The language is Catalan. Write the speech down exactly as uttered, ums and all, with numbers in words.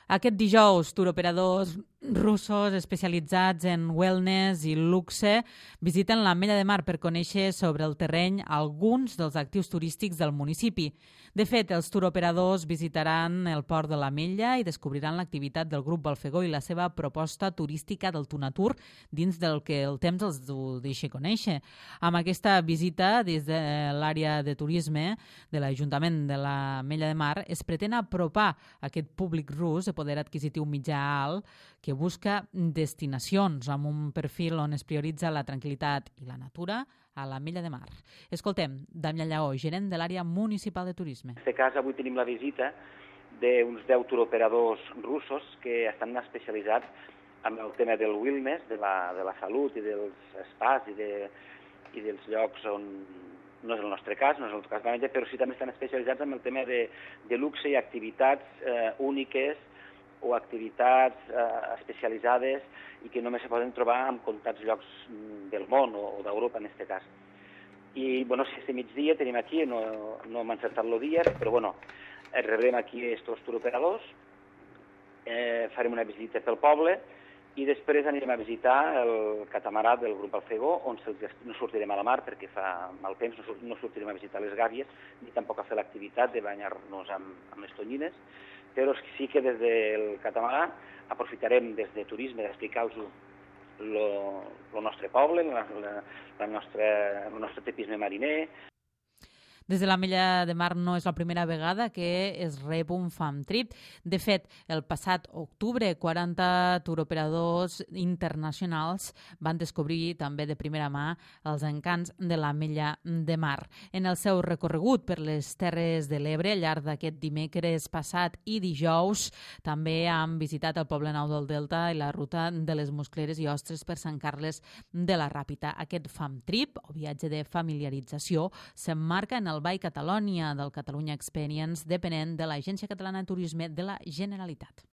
Aquest dijous, turoperadors russos especialitzats en wellness i luxe visiten l'Ametlla de Mar per conèixer sobre el terreny alguns dels actius turístics del municipi. De fet, els turoperadors visitaran el port de l'Ametlla i descobriran l'activitat del grup Balfegó i la seva proposta turística del Tunatur dins del que el temps els deixa conèixer. Amb aquesta visita des de l'àrea de turisme de l'Ajuntament de l'Ametlla de Mar es pretén apropar aquest públic rus de poder adquisitiu mitjà alt que busca destinacions amb un perfil on es prioritza la tranquil·litat i la natura a l'Ametlla de Mar. Escoltem Damià Lleó, gerent de l'àrea municipal de turisme. En aquest cas, avui tenim la visita d'uns deu turoperadors russos que estan especialitzats en el tema del wellness, de la, de la salut i dels spas i, de, i dels llocs on no és el nostre cas, no és el cas de l'Ametlla, però sí també estan especialitzats en el tema de, de luxe i activitats eh, úniques o activitats eh, especialitzades i que només se poden trobar en comptats llocs del món o, o d'Europa en aquest cas. I, bueno, si este migdia tenim aquí, no, no hem encertat el dia, però, bueno, rebrem aquí estos turoperadors, eh, farem una visita pel poble i després anirem a visitar el catamarà del grup Balfegó, on no sortirem a la mar perquè fa mal temps, no sortirem a visitar les gàbies, ni tampoc a fer l'activitat de banyar-nos amb, amb les tonyines, però sí que des del catamarà aprofitarem des de turisme d'explicar-los el nostre poble, la, la, la nostra, el nostre tipisme mariner. Des de l'Ametlla de Mar no és la primera vegada que es rep un fam trip. De fet, el passat octubre, quaranta turoperadors internacionals van descobrir també de primera mà els encants de l'Ametlla de Mar. En el seu recorregut per les Terres de l'Ebre, al llarg d'aquest dimecres passat i dijous, també han visitat el Poble Nou del Delta i la ruta de les Muscleres i Ostres per Sant Carles de la Ràpita. Aquest fam trip, o viatge de familiarització, s'emmarca en el By Catalonia del Catalunya Experience, depenent de l'Agència Catalana de Turisme de la Generalitat.